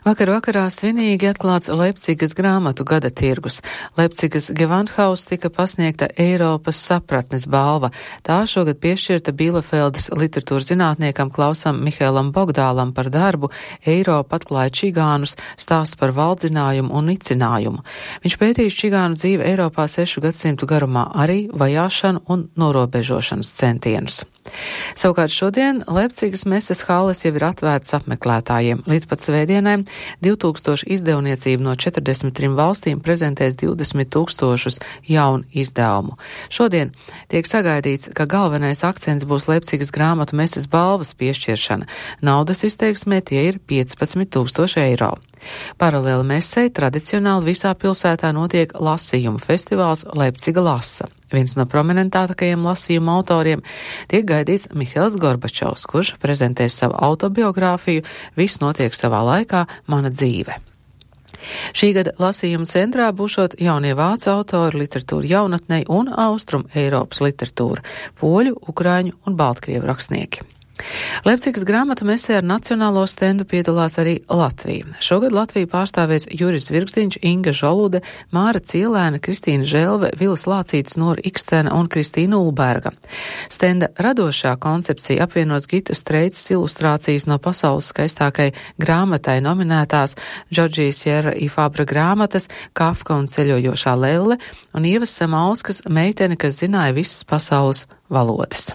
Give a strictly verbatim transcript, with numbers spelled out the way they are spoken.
Vakar vakarā svinīgi atklāts Leipcigas grāmatu gada tirgus. Leipcigas Gewandhaus tika pasniegta Eiropas sapratnes balva. Tā šogad piešķirta Bielefeldes literatūras zinātniekam Klausam Mihēlam Bogdālam par darbu Eiropa atklāja čigānus, stāsts par valdzinājumu un nicinājumu. Viņš pētījis čigānu dzīvi Eiropā sešu gadsimtu garumā, arī vajāšanu un norobežošanas centienus. Savukārt šodien Leipcigas meses halles jau ir atvērtas apmeklētājiem. Līdz pat svētdienai divtūkstoši izdevniecību no četrdesmit trim valstīm prezentēs divdesmit tūkstošus jaunu izdevumu. Šodien tiek sagaidīts, ka galvenais akcents būs Leipcigas grāmatu meses balvas piešķiršana. Naudas izteiksmē tie ir piecpadsmit tūkstoši eiro. Paralēli mesei tradicionāli visā pilsētā notiek lasījumu festivāls Leipciga lasa. Viens no prominentākajiem lasījuma autoriem tiek gaidīts Mihails Gorbačovs, kurš prezentēs savu autobiogrāfiju Viss notiek savā laikā, mana dzīve. Šī gada lasījuma centrā būšot jaunie vācu autori, literatūra jaunatnei un Austrum Eiropas literatūra, poļu, ukraiņu un baltkrievu rakstnieki. Leipcigas grāmatu mesē ar nacionālo stendu piedalās arī Latvija. Šogad Latviju pārstāvēs Juris Virkstiņš, Inga Žolude, Māra Cielēna, Kristīna Želve, Vilas Lācītis, Nora Ikstena un Kristīna Ulberga. Stenda radošā koncepcija apvienots Gitas Streicas ilustrācijas no pasaules skaistākai grāmatai nominētās Džordžijas Sierra i Fabra grāmatas Kafka un ceļojošā lelle un Ievas Samauskas meitene, kas zināja visas pasaules valodas.